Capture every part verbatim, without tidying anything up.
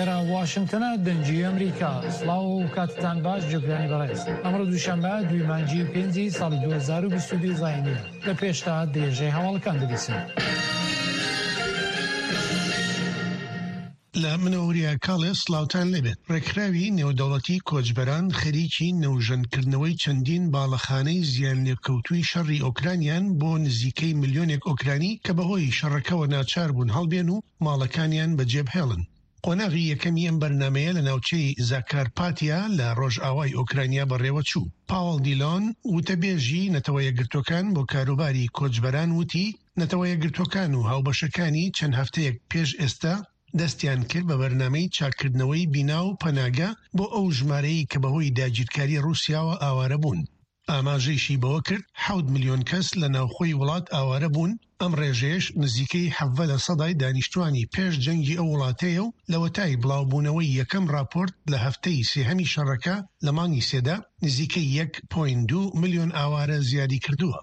ئێرە واشنگتنە، دەنگی ئەمریکا. سڵاو و کاتتان باش جوگرانی بەڕێز. ئەمڕۆ دووشەممە دووی مانگی پێنجی ساڵی دوو هەزار و بیست و دوو زایینیە. لە پێشتا درێژەی هەواڵەکان دەبیسن. لە منەوەریا کاڵێ سڵاوتان لێبێت. ڕێکخراوی نێودەوڵەتی کۆچبەران خەریکی نەوژەنکردنەوەی چەندین باڵەخانەی زیانلێکەوتووی شەڕی ئۆکرانیان بۆ نزیکەی ملیۆنێک ئۆکرانی کە بەهۆی شەڕەکەوە ناچار بوون هەڵبێن و ماڵەکانیان بەجێبهێڵن. قۆناغی یەکەمی ئەم بەرنامەیە لە ناوچەی زاکارپاتیا لە ڕۆژئاوای ئۆکرانیا بەڕێوەچوو. پاوڵ دیلۆن وتەبێژی نەتەوە یەکگرتووەکان بۆ کاروباری کۆچبەران وتی نەتەوە یەکگرتووەکان و هاوبەشەکانی چەند هەفتەیەک پێش ئێستا دەستیان کرد بە بەرنامەی چاککردنەوەی بینا و پەناگە بۆ ئەو ژمارەیە کە بەهۆی داگیرکاری ڕووسیاوە ئاوارە بوون. ئاماژەیشی بەوە کرد حەوت ملیۆن کەس لە ناوخۆی وڵات ئاوارە بوون، ئەم ڕێژەیەش نزیکەی حەڤدە لە سەدای دانیشتوانی پێش جەنگی ئەو وڵاتەیە و لەوەتای بڵاوبوونەوەی یەکەم راپۆرت لە هەفتەی سێهەمی شەڕەکە لە مانگی سێدا نزیکەی یەک پۆینت دوو ملیۆن ئاوارە زیادی کردووە.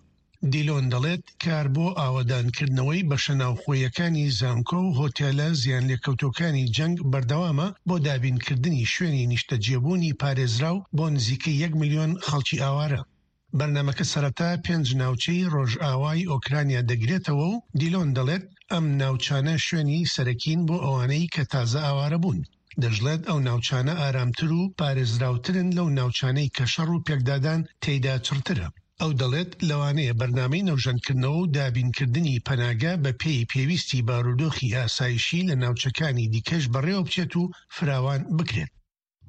دیلۆن دەڵێت کار بۆ ئاوەدانکردنەوەی بەشە ناوخۆیەکانی زانکۆ و هۆتێلە زیانلێکەوتووەکانی جەنگ بەردەوامە بۆ دابینکردنی شوێنی نیشتەجێبوونی پارێزراو بۆ نزیکەی یەک ملیۆن خەڵکی ئاوارە. بەرنامەکە سەرەتا پێنج ناوچەی ڕۆژئاوای ئۆکرانیا دەگرێتەوە و دیلۆن دەڵێت ئەم ناوچانە شوێنی سەرەکین بۆ ئەوانەی کە تازە ئاوارە بوون. دەشڵێت ئەو ناوچانە ئارامتر و پارێزراوترن لەو ناوچانەی کە شەڕ و پێکدادان تێیدا چڕترە. ئەو دەڵێت لەوانەیە بەرنامەی نەوژەنکردنەوە و دابینکردنی پەناگە بە پێی پێویستی بارودۆخی ئاسایشی لە ناوچەکانی دیکەش بەڕێوە بچێت و فراوان بکرێت.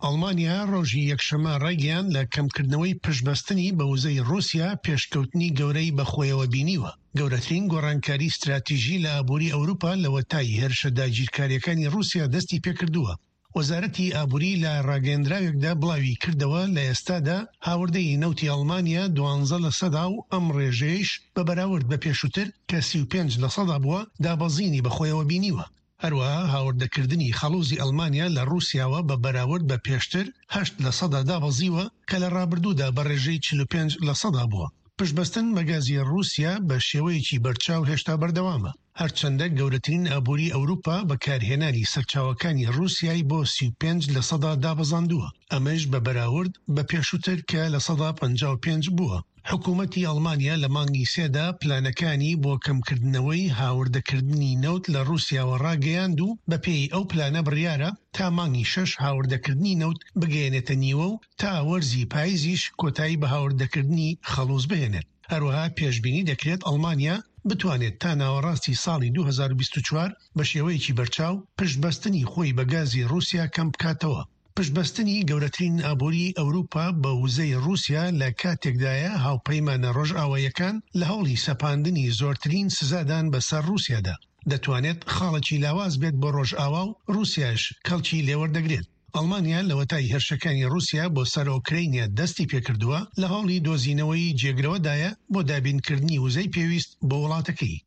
ئەڵمانیا ڕۆژی یەکشەممە ڕایگەیاند لە کەمکردنەوەی پشتبەستنی بە وزەی ڕووسیا پێشکەوتنی گەورەی بەخۆیەوە بینیوە. گەورەترین گۆڕانکاری ستراتیژی لە ئابووری ئەوروپا لەوەتای هێرشە داگیرکاریەکانی ڕووسیا دەستی پێکردووە. وەزارەتی ئابووری لە ڕاگەیەندراوێکدا بڵاوی کردەوە لە ئێستادا هاوردەی نەوتی ئەڵمانیا دوانزە لە سەدا و ئەم ڕێژەیەش بە بەراورد بە پێشووتر کە سی و پێنج لە سەدا بووە دابەزینی بەخۆیەوە بینیوە. هەروەها هاوردەکردنی خەڵوزی ئەڵمانیا لە ڕووسیاوە بە بەراورد بە پێشتر هەشت لە سەدا دابەزیوە کە لە ڕابردوودا بە ڕێژەی چل و پێنج لە سەدا بووە. پشتبەستن بە گازی ڕووسیا بە شێوەیەکی بەرچاو هێشتا بەردەوامە. هەرچەندە گەورەترین ئابووری ئەوروپا بەکارهێنانی سەرچاوەکانی ڕووسیای بۆ سی و پێنج لە سەدا دابەزاندووە، ئەمەش بە بەراورد بە پێشووتر کە لە سەدا پەنجا و پێنج بووە. حکوومەتی ئەڵمانیا لە مانگی سێدا پلانەکانی بۆ کەمکردنەوەی هاوردەکردنی نەوت لە ڕووسیاوە ڕاگەیاند و بەپێی ئەو پلانە بڕیارە تا مانگی شەش هاوردەکردنی نەوت بگەیەنێتە نیوە و تا وەرزی پاییزیش کۆتایی بە هاوردەکردنی خەڵوز بهێنێت. هەروەها پێشبینی دەکرێت ئەڵمانیا بتوانێت تا ناوەڕاستی ساڵی دوو هەزار و بیست و چوار بە شێوەیەکی بەرچاو پشتبەستنی خۆی بە گازی ڕووسیا کەم بکاتەوە. پشتبەستنی گەورەترین ئابووری ئەوروپا بە وزەی ڕووسیا لە کاتێکدایە هاوپەیمانە ڕۆژئاواییەکان لە هەوڵی سەپاندنی زۆرترین سزادان بەسەر ڕووسیادا دەتوانێت خاڵێکی لاواز بێت بۆ ڕۆژئاوا و ڕووسیاش کەڵکی لێوەردەگرێت. ئەڵمانیا لەوەتای هێرشەکانی ڕووسیا بۆ سەر ئۆکرەینیا دەستی پێکردووە لە هەوڵی دۆزینەوەی جێگرەوەدایە بۆ دابینکردنی وزەی پێویست بۆ وڵاتەکەی.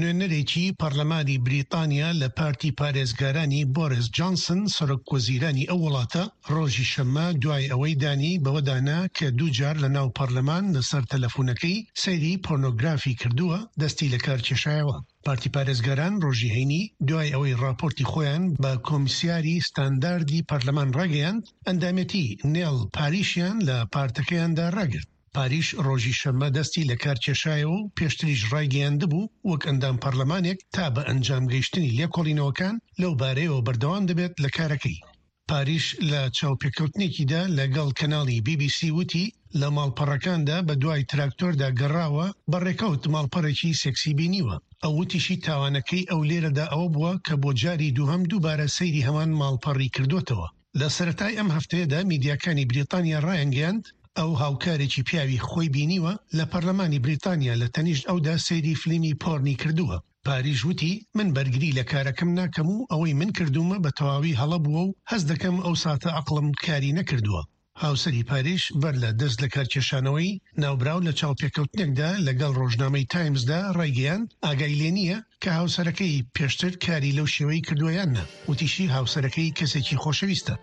نوێنەرێکی پەرلەمانی بریتانیا لە پارتی پارێزگارانی بۆریس جانسن سەرۆک وەزیرانی ئەو وڵاتە ڕۆژی شەممە دوای ئەوەی دانی بەوەدانا کە دوو جار لە ناو پەرلەمان لەسەر تەلەفۆنەکەی سەیری پۆرنۆگرافی کردووە دەستی لە کار کێشایەوە. پارتی پارێزگاران ڕۆژی هەینی دوای ئەوەی ڕاپۆرتی خۆیان بە کۆمیسیاری ستانداردی پەرلەمان ڕاگەیاند ئەندامێتی نێڵ پاریشیان لە پارتەکەیاندا ڕاگرت. پاریش ڕۆژی شەممە دەستی لە کار کێشایەوە و پێشتریش ڕایگەیاندبوو وەک ئەندام پەرلەمانێک تا بە ئەنجام گەیشتنی لێکۆڵینەوەکان لەو بارەیەوە بەردەوام دەبێت لە کارەکەی. پاریش لە چاوپێکەوتنێکیدا لەگەڵ کەناڵی بی بی سی وتی لە ماڵپەڕەکاندا بە دوای تراکتۆردا گەڕاوە بە ڕێکەوت ماڵپەڕێکی سێکسی بینیوە. ئەو وتیشی تاوانەکەی ئەو لێرەدا ئەوە بووە کە بۆ جاری دووهەم دووبارە سەیری هەمان ماڵپەڕی کردوتەوە. لە سەرەتای ئەم هەفتەیەدا میدیاکانی بریتانیا ڕایانگەیاند ئەو هاوکارێکی پیاوی خۆی بینیوە لە پەرلەمانی بریتانیا لە تەنیشت ئەودا سەیری فلیمی پۆرنی کردووە. پاریش وتی من بەرگری لە کارەکەم ناکەم و ئەوەی من کردوومە بە تەواوی هەڵە بووە و هەست دەکەم ئەو ساتە عەقڵم کاری نەکردووە. هاوسەری پاریش بەر لە دەست لە کارکێشانەوەی ناوبراو لە چاوپێکەوتنێکدا لەگەڵ ڕۆژنامەی تایمزدا ڕایگەیاند ئاگای لێ نییە کە هاوسەرەکەی پێشتر کاری لەو شێوەی کردووە یان نا. وتیشی هاوسەرەکەی کەسێکی خۆشەویستە.